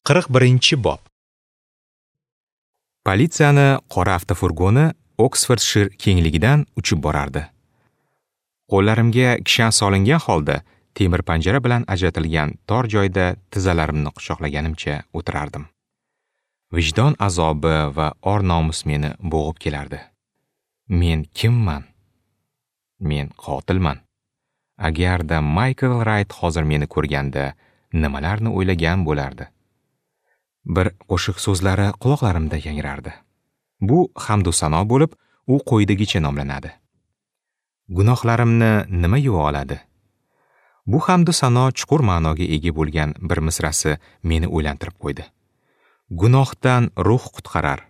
41-bob. Politsiyani qora avtofurgoni Oksfordshir kengligidan uchib borardi. Qo'llarimga kishan solingan holda temir panjara bilan ajratilgan tor joyda tizzalarimni quchoqlaganimcha o'tirardim. Vijdon azobi va or-nomus meni bo'g'ib kelardi. Men kimman? Men qotilman. Agarda Maykl Rayt hozir meni ko'rganda nimalarni o'ylagan bo'lardi? Bir qo'shiq so'zlari quloqlarimda yangrardi. Bu hamdu sano bo'lib, u quyidagicha nomlanadi. Gunohlarimni nima yuva oladi? Bu hamdu sano chuqur ma'noga ega bo'lgan bir misrasi meni o'ylantirib qo'ydi. Gunohdan ruh qutqarar.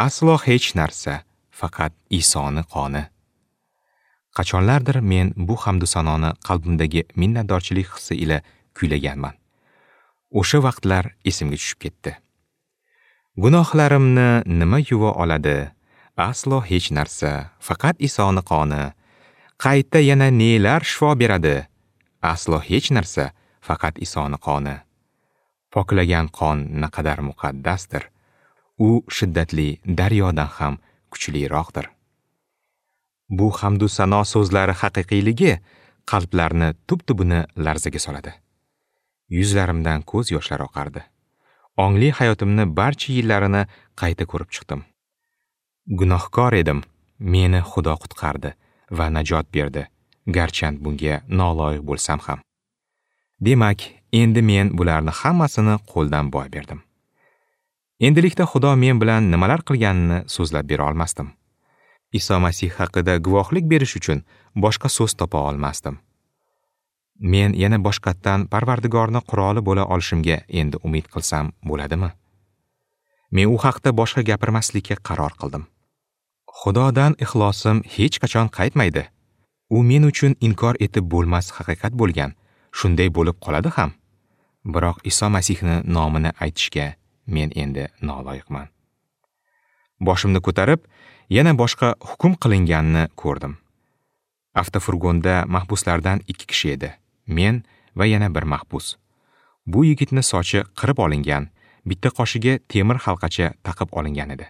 Aslo hech narsa, faqat Isoni qoni. Qachonlardir men bu hamdu sanoni qalbimdagi minnatdorchilik hissi ila kuylaganman. O'sha vaqtlar esimga tushib ketdi. Gunohlarimni nima yuva oladi? Aslo hech narsa, faqat Isoni qoni. Qayta yana nelar shifo beradi? Aslo hech narsa, faqat Isoni qoni. Poklagan qon naqadar muqaddasdir. U shiddatli daryodan ham kuchliroqdir. Bu hamdu sano so'zlari haqiqiyligi qalblarni tub-tubini larzaga soladi. Yuzlarimdan ko'z yoshlari oqardi. Ongli hayotimni barcha yillarini qayta ko'rib chiqdim. Gunohkor edim, meni Xudo qutqardi va najot berdi, garchand bunga noloyiq bo'lsam ham. Demak, endi men bularni hammasini qo'ldan boy berdim. Endilikda Xudo men bilan nimalar qilganini so'zlab bera olmasdim. Iso Masih haqida guvohlik berish uchun boshqa so'z topa olmasdim. Men yana boshqatdan Parvardigorni quroli bo'la olishimga endi umid qilsam bo'ladimi? Men u haqda boshqa gapirmaslikka qaror qildim. Xudodan ixlosim hech qachon qaytmaydi. U men uchun inkor etib bo'lmas haqiqat bo'lgan, shunday bo'lib qoladi ham. Biroq Iso Masihni nomini aytishga men endi noloyiqman. Boshimni ko'tarib, yana boshqa hukm qilinganini ko'rdim. Avtofurgonda mahbuslardan 2 kishi edi. Men va yana bir mahbus. Bu yigitni sochi qirib olingan, bitta qoshiga temir halqacha taqib olingan edi.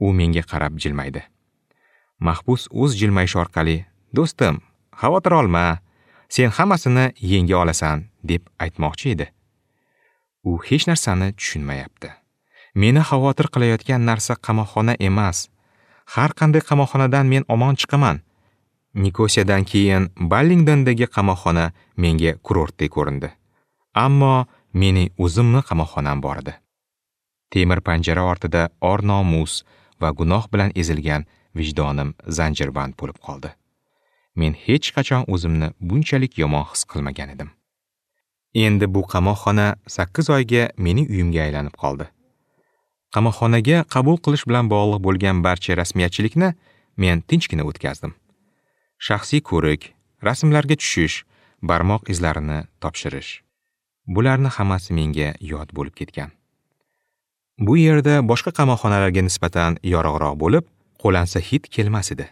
U menga qarab jilmaydi. Mahbus o'z jilmayishi orqali, "Do'stim, xavotir olma, sen hammasini yenga olasan", deb aytmoqchi edi. U hech narsani tushunmayapti. Meni xavotir qilayotgan narsa qamoqxona emas. Har qanday qamoqxonadan men omon chiqaman. Nikosiyadan keyin Ballingdondagi qamoqxona menga kurortdek ko'rindi. Ammo mening o'zimni qamoqxonam bor edi. Temir panjara ortida or-nomus va gunoh bilan ezilgan vijdonim zanjirband bo'lib qoldi. Men hech qachon o'zimni bunchalik yomon his qilmagan edim. Endi bu qamoqxona 8 oyga mening uyimga aylanib qoldi. Qamoqxonaga qabul qilish bilan bog'liq bo'lgan barcha rasmiyatchilikni men tinchgina o'tkazdim. Shaxsiy ko'rik, rasmlarga tushish, barmoq izlarini topshirish. Bularni hammasi menga yod bo'lib ketgan. Bu yerda boshqa qamoqxonalarga nisbatan yorug'roq bo'lib, qo'lansa hid kelmas edi.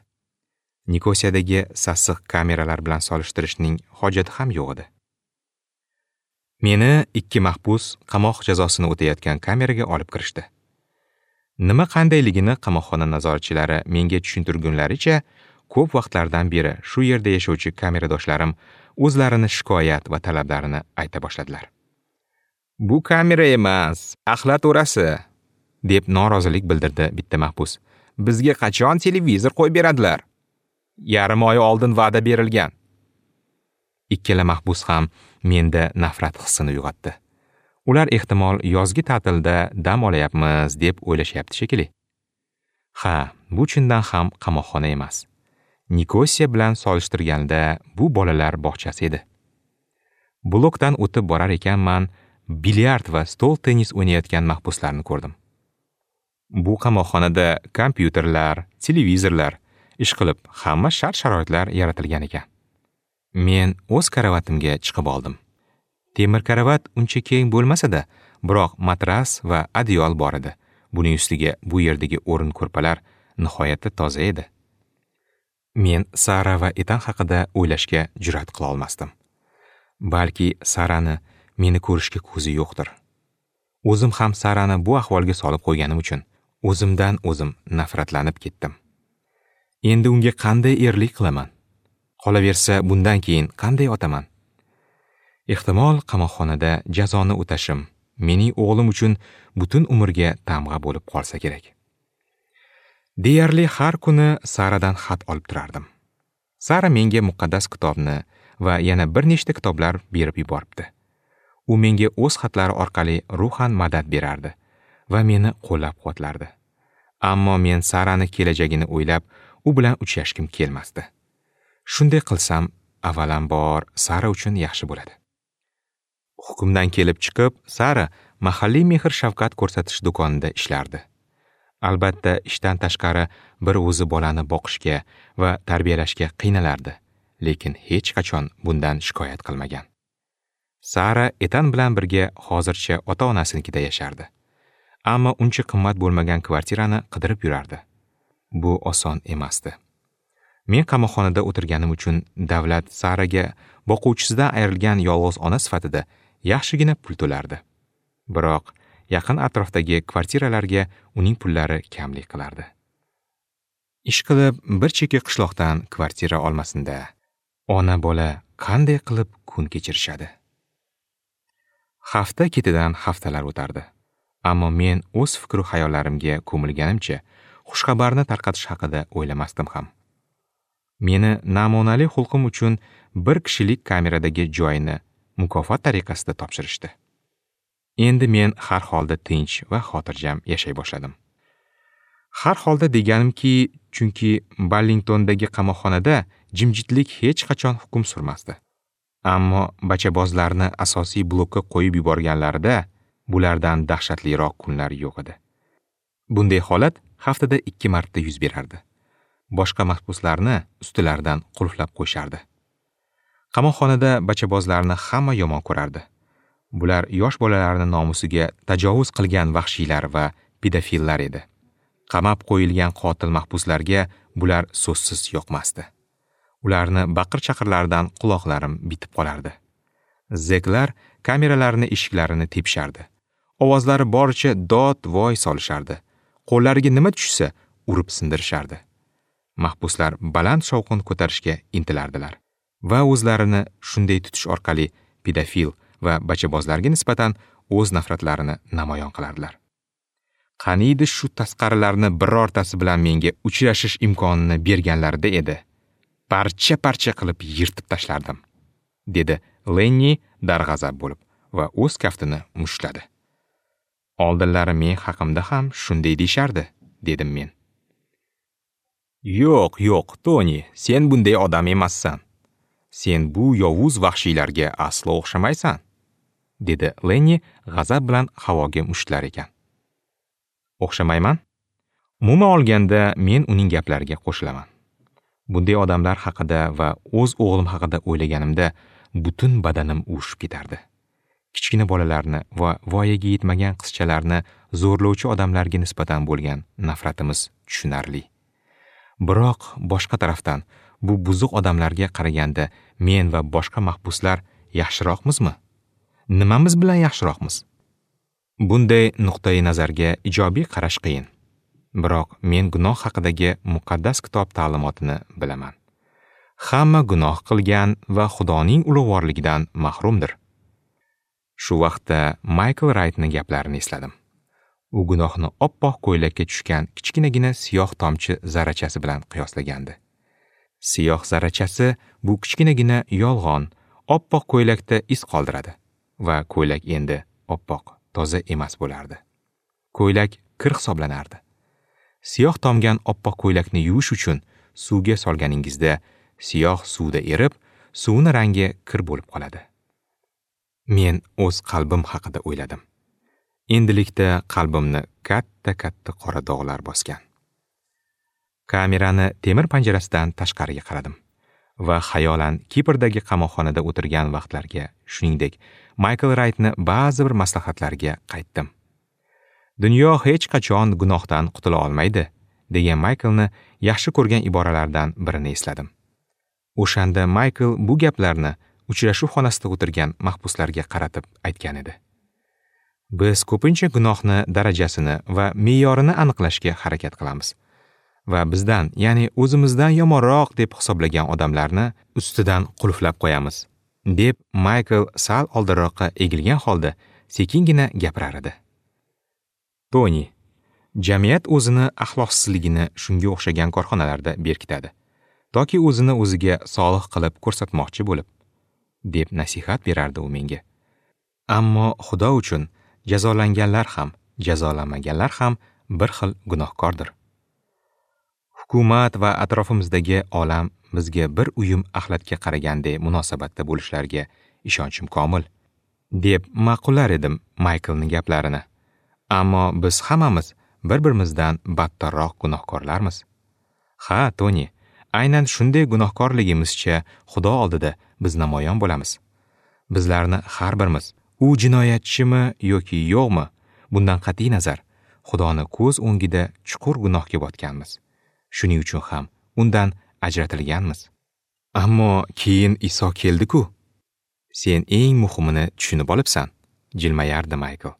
Nikosiyadagi sassiq kameralar bilan solishtirishning hojati ham yo'q edi. Meni 2 mahbus qamoq jazosini o'tayotgan kameraga olib kirishdi. Nima qandayligini qamoqxona nazoratchilari menga tushuntirgunlaricha, ko'p vaqtlardan beri shu yerda yashovchi kameradoshlarim o'zlarini shikoyat va talablarini ayta boshladilar. "Bu kamera emas, axlat o'rasi", deb norozilik bildirdi bitta mahbus. "Bizga qachon televizor qo'yib beradilar? Yarim oy oldin va'da berilgan." Ikkala mahbus ham menda nafrat hissini uyg'otdi. Ular ehtimol yozgi ta'tilda dam olayapmiz deb o'ylashyapti shekilli. Ha, bu chindan ham qamoqxona emas. Nikosiya bilan solishtirganda bu bolalar bog'chasi edi. Blokdan o'tib borar ekanman, bilyard va stol tennis o'ynayotgan mahbuslarni ko'rdim. Bu qamoqxonada kompyuterlar, televizorlar, ish qilib hamma shart-sharoitlar yaratilgan ekan. Men o'z karavatimga chiqib oldim. Temir karavat uncha keng bo'lmasa-da, biroq matras va adyol bor edi. Buning ustiga bu yerdagi o'rin ko'rpalar nihoyatda toza edi. Men Sara va Etan haqida o'ylashga jur'at qila olmasdim. Balki Sarani meni ko'rishga ko'zi yo'qdir. O'zim ham Sarani bu ahvolga solib qo'yganim uchun o'zimdan o'zim nafratlanib ketdim. Endi unga qanday erlik qilaman? Qolaversa, bundan keyin qanday otaman? Ehtimol qamoqxonada jazoni o'tashim mening o'g'lim uchun butun umrga tamg'a bo'lib qolsa kerak. Deyarli har kuni Saradan xat olib turardim. Sara menga muqaddas kitobni va yana bir nechta kitoblar berib yuboribdi. U menga o'z xatlari orqali ruhan madad berardi va meni qo'llab-quvvatlardi. Ammo men Sarani kelajagini o'ylab, u bilan uchrashgim kelmasdi. Shunday qilsam, avvalambor Sara uchun yaxshi bo'ladi. Hukmdan kelib chiqib, Sara mahalliy mehr-shafqat ko'rsatish do'konida ishlardi. Albatta, ishdan tashqari bir o'zi bolani boqishga va tarbiyalashga qiynalardi, lekin hech qachon bundan shikoyat qilmagan. Sara Etan bilan birga hozircha ota-onasinikida yashardi. Ammo uncha qimmat bo'lmagan kvartirani qidirib yurardi. Bu oson emasdi. Men qamoqxonada o'tirganim uchun davlat Saraga boquvchisidan ayrilgan yolg'iz ona sifatida yaxshigina pul to'lardi. Biroq yaqin atrofdagi kvartiralarga uning pullari kamlik qilardi. Ish qilib bir chekka qishloqdan kvartira olmasinda, ona bola qanday qilib kun kechirishadi? Hafta ketidan haftalar o'tardi. Ammo men o'z fikr va xayollarimga ko'milganimcha xushxabarni tarqatish haqida o'ylamasdim ham. Meni namunali xulqim uchun bir kishilik kameradagi joyini mukofot tariqasida topshirishdi. Endi men har holda tinch va xotirjam yashay boshladim. Har holda deganimki, chunki Ballingtondagi qamoqxonada jimjitlik hech qachon hukm surmasdi. Ammo bachabozlarni asosiy blokka qo'yib yuborganlarida bulardan dahshatliroq kunlar yo'q edi. Bunday holat haftada 2 marta yuz berardi. Boshqa mahbuslarni ustilaridan qulflab qo'yishardi. Qamoqxonada bachabozlarni hamma yomon ko'rardi. Bular yosh bolalarning nomusiga tajovuz qilgan vahshiylar va pedofillar edi. Qamab qo'yilgan qotil mahbuslarga bular so'zsiz yoqmasdi. Ularni baqir-chaqirlaridan quloqlarim bitib qolardi. Zeklar kameralarni eshiklarini tepishardi. Ovozlari boricha dod-voy solishardi. Qo'llariga nima tushsa urib sindirishardi. Mahbuslar baland shovqin ko'tarishga intilardilar va o'zlarini shunday tutish orqali pedofil va bachabozlarga nisbatan o'z nafratlarini namoyon qilardilar. Qaniydi shu tasqarilarni birortasi bilan menga uchrashish imkonini berganlarida edi. Parcha-parcha qilib yirtib tashlardim, dedi Lenni darg'azab bo'lib va o'z kaftini mushtladi. Oldinlari men haqimda ham shunday deyishardi, dedim men. Yo'q, yo'q, Toni, sen bunday odam emassan. Sen bu yovuz vahshiylarga aslo o'xshamaysan, dedi Lenni g'azab bilan havoga mushtlar ekan. O'xshamayman? Umuman olganda men uning gaplariga qo'shilaman. Bunday odamlar haqida va o'z o'g'lim haqida o'ylaganimda butun badanim uvushib ketardi. Kichkina bolalarni va voyaga yetmagan qizchalarni zo'rlovchi odamlarga nisbatan bo'lgan nafratimiz tushunarli. Biroq boshqa tarafdan bu buzuq odamlarga qaraganda men va boshqa mahbuslar yaxshiroqmizmi? Nimamiz bilan yaxshiroqmiz? Bunday nuqtai nazarga ijobiy qarash qiyin. Biroq men gunoh haqidagi muqaddas kitob ta'limotini bilaman. Hamma gunoh qilgan va Xudoning ulug'vorligidan mahrumdir. Shu vaqtda Maykl Raytning gaplarini esladim. U gunohni oppoq ko'ylakka tushgan kichkinagina siyoh tomchi zarrachasi bilan qiyoslagandi. Siyoh zarrachasi bu kichkinagina yolg'on, oppoq ko'ylakda iz qoldiradi va ko'ylak endi oppoq, toza emas bo'lardi. Ko'ylak kir hisoblanardi. Siyoh tomgan oppoq ko'ylakni yuvish uchun suvga solganingizda siyoh suvda erib, suvning rangi kir bo'lib qoladi. Men o'z qalbim haqida o'yladim. Endilikda qalbimni katta-katta qora dog'lar bosgan. Kamerani temir panjarasidan tashqariga qaradim va xayolan Kiprdagi qamoqxonada o'tirgan vaqtlarga, shuningdek, Maykl Raytni ba'zi bir maslahatlariga qaytdim. Dunyo hech qachon gunohdan qutula olmaydi, degan Mayklni yaxshi ko'rgan iboralardan birini esladim. O'shanda Maykl bu gaplarni uchrashuv xonasida o'tirgan mahbuslarga qaratib aytgan edi. Biz ko'pincha gunohni darajasini va me'yorini aniqlashga harakat qilamiz va bizdan, ya'ni o'zimizdan yomonroq deb hisoblagan odamlarni ustidan qulflab qo'yamiz, deb Maykl sal oldinroqqa egilgan holda sekingina gapirar edi. Toni, jamiyat o'zini axloqsizligini shunga o'xshagan korxonalarda berkitadi, toki o'zini o'ziga solih qilib ko'rsatmoqchi bo'lib, deb nasihat berardi u menga. Ammo Xudo uchun jazolanganlar ham, jazolanmaganlar ham bir xil gunohkordir. Hukumat va atrofimizdagi olam bizga bir uyum axlatga qaraganday munosabatda bo'lishlariga ishonchim komil, deb ma'qullar edim Mayklning gaplarini. Ammo biz hammamiz bir-birimizdan battarroq gunohkorlarmiz. Ha, Toni, aynan shunday gunohkorligimizcha Xudo oldida biz namoyon bo'lamiz. Bizlarni har birimiz, u jinoyatchimi yoki yo'qmi, bundan qat'iy nazar, Xudoni ko'z o'ngida chuqur gunohga botganmiz. Shuning uchun ham undan ajratilganmiz. Ammo keyin Iso keldi-ku. Sen eng muhimini tushunib olibsan, jilmayardi Maykl.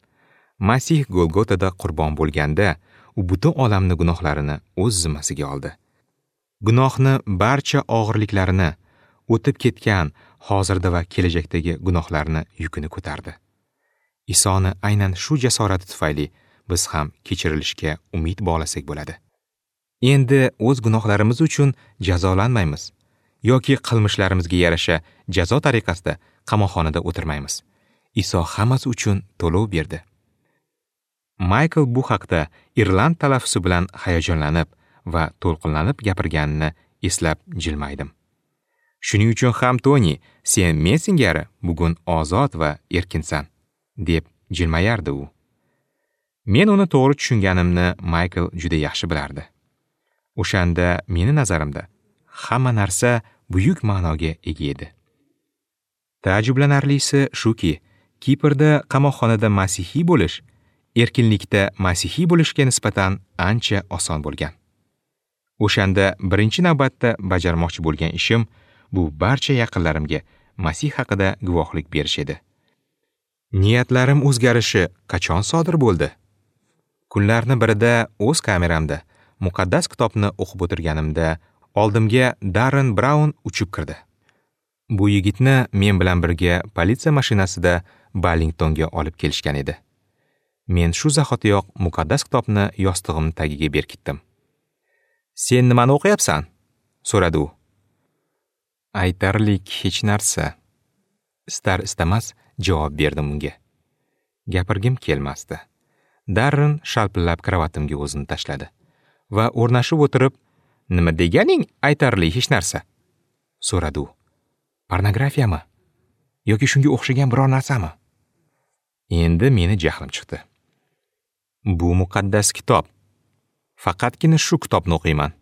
Masih Golgotada qurbon bo'lganda, u butun olamni gunohlarini o'z zimmasiga oldi. Gunohni barcha og'irliklarini, o'tib ketgan, hozirda va kelajakdagi gunohlarni yukini ko'tardi. Isoni aynan shu jasorati tufayli biz ham kechirilishga umid bog'lasak bo'ladi. Endi o'z gunohlarimiz uchun jazolanmaymiz yoki qilmishlarimizga yarasha jazo tariqasida qamoqxonada o'tirmaymiz. Iso hammasi uchun to'lov berdi. Maykl bu haqda irland talaffuzi bilan hayajonlanib va to'lqinlanib gapirganini eslab jilmaydim. Shuning uchun ham Toni, sen men singari bugun ozod va erkinsan, deb jilmayardi u. Men uni to'g'ri tushunganimni Maykl juda yaxshi bilardi. O'shanda meni nazarimda hamma narsa buyuk ma'noga ega edi. Taajjublanarlisi shuki, Kiprda qamoqxonada masihiy bo'lish erkinlikda masihiy bo'lishga nisbatan ancha oson bo'lgan. O'shanda birinchi navbatda bajarmoqchi bo'lgan ishim bu barcha yaqinlarimga Masih haqida guvohlik berish edi. Niyatlarim o'zgarishi qachon sodir bo'ldi? Kunlarni birida o'z kameramda muqaddas kitobni o'qib o'tirganimda oldimga Darren Braun uchib kirdi. Bu yigitni men bilan birga politsiya mashinasida Ballingtonga olib kelishgan edi. Men shu zahotiyoq muqaddas kitobni yostig'im tagiga berkitdim. "Sen nimani o'qiyapsan?" so'radi u. Aytarlik hech narsa. Istar istamas javob berdim unga. Gapirgim kelmasdi. Darren shalpillab kravatimga o'zini tashladi va o'rnashib o'tirib, "Nima deganing aytarli hech narsa?" so'radi u. "Pornografiyami yoki shunga o'xshagan biror narsami?" Endi meni jahlim chiqdi. "Bu muqaddas kitob. Faqatgina shu kitobni o'qiyman",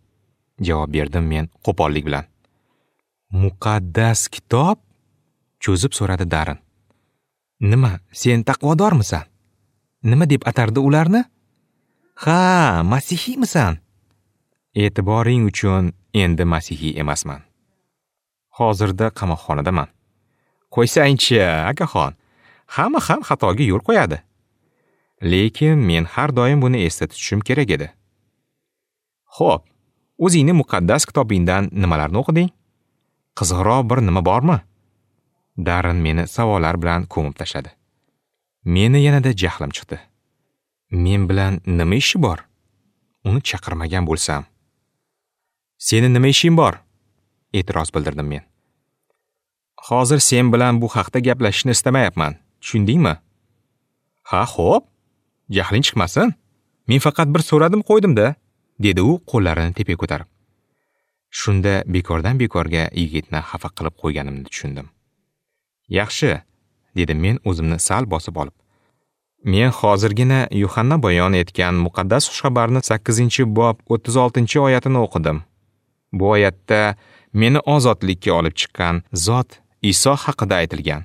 javob berdim men qo'pollik bilan. "Muqaddas kitob?" cho'zib so'radi Darren. "Nima, sen taqvodormisan? Nima deb atardi ularni? Ha, masihiymisan?" "E'tiboring uchun endi masihiy emasman. Hozirda qamoqxonadaman." "Qo'ysangchi, akaxon. Hamma ham xatoga yo'l qo'yadi. Lekin men har doim buni esda tutishim kerak edi." "Xo'p, o'zingni muqaddas kitobingdan nimalarni o'qiding? Qiziqroq bir nima bormi?" Darren meni savollar bilan ko'mib tashladi. Meni yanada jahlim chiqdi. Men bilan nima ishi bor? Uni chaqirmagan bo'lsam. "Seni nima ishing bor?" e'tiroz bildirdim men. "Hozir sen bilan bu haqda gaplashishni istamayapman. Tushundingmi?" "Ha, xo'p. Jahling chiqmasin. Men faqat bir so'radim qo'ydim-da", dedi u qo'llarini tepaga ko'tarib. Shunda bekordan bekorga yigitni xafa qilib qo'yganimni tushundim. "Yaxshi", dedim men o'zimni sal bosib olib. "Men hozirgina Yuhanna bayon etgan muqaddas xushxabarni 8-bob 36-oyatini o'qidim. Bu oyatda meni ozodlikka olib chiqqan zot Iso haqida aytilgan."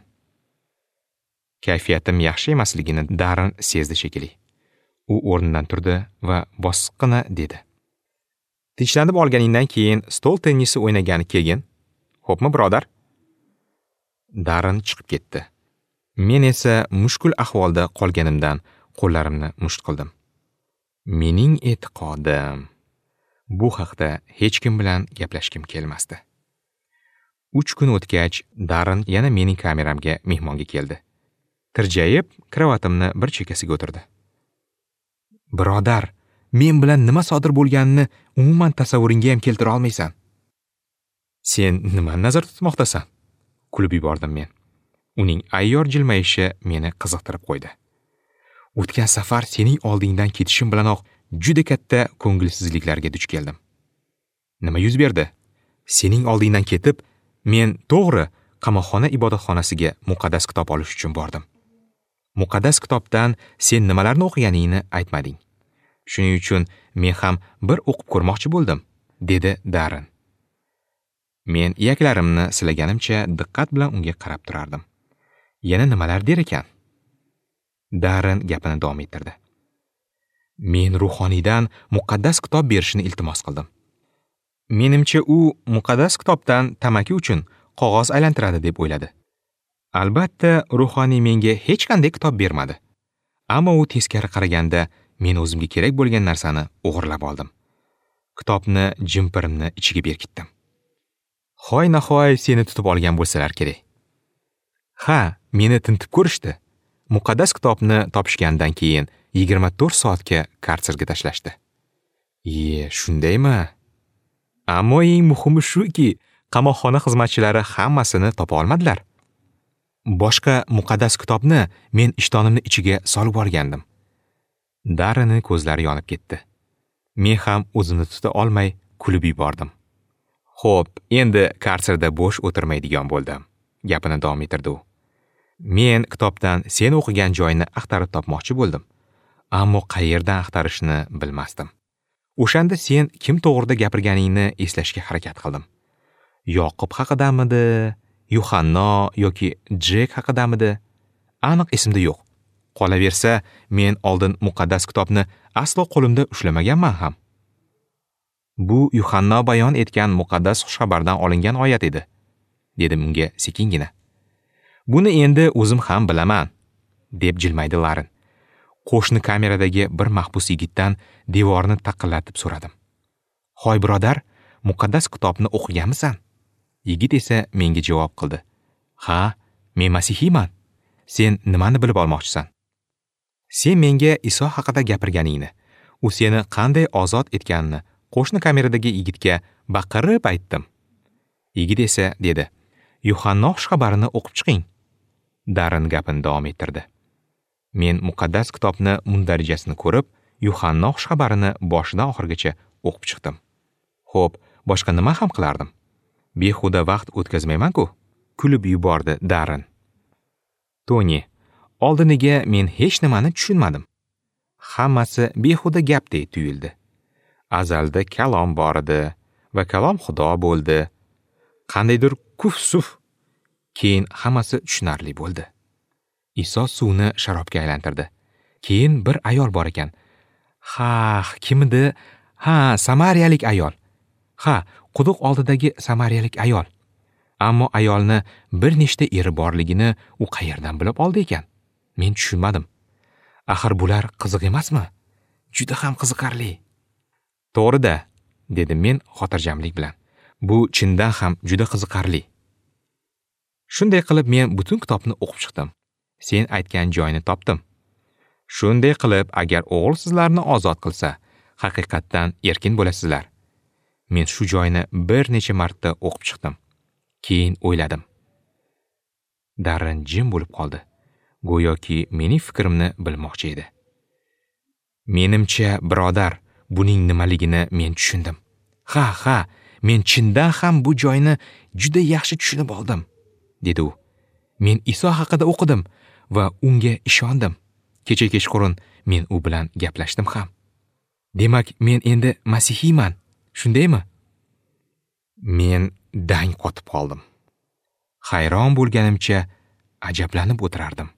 Kayfiyatim yaxshi emasligini Darren sezdi shekilli. U o'rnidan turdi va bosiqqina dedi: "Tinchlanib olganingdan keyin stol tennisi o'ynagani kelgin. Xo'pmi, birodar?" Darren chiqib ketdi. Men esa mushkul ahvolda qolganimdan qo'llarimni musht qildim. Mening e'tiqodim. Bu haqda hech kim bilan gaplashgim kelmasdi. 3 kun o'tgach, Darren yana mening kameramga mehmonga keldi. Tirjayib, krovatimni bir chekkasiga o'tirdi. Birodar, men bilan nima sodir bo'lganini umuman tasavvuringga ham keltira olmaysan. Sen nimani nazarda tutmoqdasan? Kulib yubordim men. Uning ayyor jilmayishi meni qiziqtirib qo'ydi. O'tgan safar sening oldingdan ketishim bilanoq juda katta ko'ngilsizliklarga duch keldim. Nima yuz berdi? Sening oldingdan ketib, men to'g'ri qamoqxona ibodatxonasiga muqaddas kitob olish uchun bordim. Muqaddas kitobdan sen nimalarni o'qiganingni aytmading. Shuning uchun men ham bir o'qib ko'rmoqchi bo'ldim, dedi Darren. Men iyaklarimni silaganimcha diqqat bilan unga qarab turardim. Yana nimalar der ekan? Darren gapini davom ettirdi. Men ruhoniydan muqaddas kitob berishini iltimos qildim. Menimcha u muqaddas kitobdan tamaki uchun qog'oz aylantiradi deb o'yladi. Albatta, ruhoniy menga hech qanday kitob bermadi. Ammo u teskari qaraganda men o'zimga kerak bo'lgan narsani o'g'irlab oldim. Kitobni jimpirimni ichiga berkitdim. Hoy nahoy seni tutib olgan bo'lsalar kerak. Ha, meni tintib ko'rishdi. Muqaddas kitobni topishgandan keyin 24 soatga karserga tashlashdi. Ye, shundaymi? Ammo eng muhimi shuki, qamoqxona xizmatchilari hammasini topa olmadilar. Boshqa muqaddas kitobni men ishtonimni ichiga solib olgandim. Darrenning ko'zlari yonib ketdi. Men ham o'zimni tuta olmay kulib yubordim. Xo'p, endi karserda bo'sh o'tirmaydigan bo'ldim, gapini davom ettirdi u. Men kitobdan sen o'qigan joyni axtarib topmoqchi bo'ldim, ammo qayerdan axtarishni bilmasdim. O'shanda sen kim to'g'rida gapirganingni eslashga harakat qildim. Yoqub haqidamidi, Yuhanno yoki Jek haqidamidi? Aniq esimda yo'q. Qolaversa, men oldin muqaddas kitobni aslo qo'limda ushlamaganman ham. Bu Yuhanno bayon etgan muqaddas xushxabardan olingan oyat edi, dedim unga sekingina. Buni endi o'zim ham bilaman, deb jilmaydi Laren. Qo'shni kameradagi bir mahbus yigitdan devorni taqillatib so'radim. Hoy birodar, muqaddas kitobni o'qiganmisan? Yigit esa menga javob qildi. Ha, men masihiyman. Sen nimani bilib olmoqchisan? Sen menga Iso haqida gapirganingni, u seni qanday ozod etganini qo'shni kameradagi yigitga baqirib aytdim. Yigit esa dedi, Yuhanno xushxabarini o'qib chiqing. Darren gapini davom ettirdi. Men muqaddas kitobni mundarijasini ko'rib, Yuhanno xushxabarini boshidan oxirigacha o'qib chiqdim. Xo'p, boshqa nima ham qilardim? Behuda vaqt o'tkazmayman-ku, kulib yubordi Darren. Toni, oldiniga men hech nimani tushunmadim. Hammasi behuda gapdek tuyuldi. Azalda kalom bor edi va kalom Xudo bo'ldi. Qandaydir kuf-suf. Keyin hammasi tushunarli bo'ldi. Iso suvni sharobga aylantirdi. Keyin bir ayol bor ekan. Ha, kim edi? Ha, samariyalik ayol. Ha, quduq oldidagi samariyalik ayol. Ammo ayolni bir nechta eri borligini u qayerdan bilib oldi ekan? Men tushunmadim. Axir bular qiziq emasmi? Juda ham qiziqarli. To'g'ri-da, dedim men xotirjamlik bilan. Bu chindan ham juda qiziqarli. Shunday qilib men butun kitobni o'qib chiqdim. Sen aytgan joyni topdim. Shunday qilib, agar o'g'il sizlarni ozod qilsa, haqiqatdan erkin bo'lasizlar. Men shu joyni bir necha marta o'qib chiqdim. Keyin o'yladim. Darren jim bo'lib qoldi. Go'yoki mening fikrimni bilmoqchi edi. Menimcha, birodar, buning nimaligini men tushundim. Ha, ha, men chindan ham bu joyni juda yaxshi tushunib oldim, dedi u. Men Iso haqida o'qidim va unga ishondim. Kecha kechqurun men u bilan gaplashdim ham. Demak, men endi masihiyman, shundaymi? Men dang qotib qoldim. Hayron bo'lganimcha ajablanib o'tirardim.